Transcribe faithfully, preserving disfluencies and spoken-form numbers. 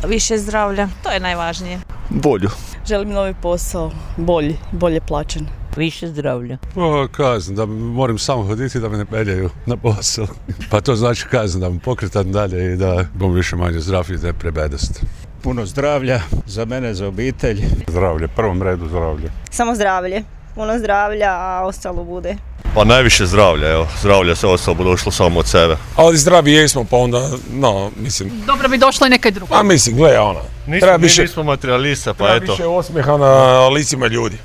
Više zdravlja, to je najvažnije. Bolju. Želim novi posao, bolji, bolje plaćen. Više zdravlja. O, kazna, da moram samo hoditi da me ne peljaju na posao. Pa to znači kazna, da me pokretam dalje i da bom više manje zdrav i ne prebedast. Puno zdravlja, za mene, za obitelj. Zdravlje, prvom redu zdravlje. Samo zdravlje, puno zdravlja, a ostalo bude. Pa najviše zdravlja, evo. Zdravlja se ostalo bi došlo samo od sebe. Ali zdravi jesmo, pa onda, no, mislim... Dobro bi došlo i nekaj drugo. Pa mislim, gle, ona. Nismo, mi više, nismo materialista, pa treba eto. Treba više osmijeha na licima ljudi.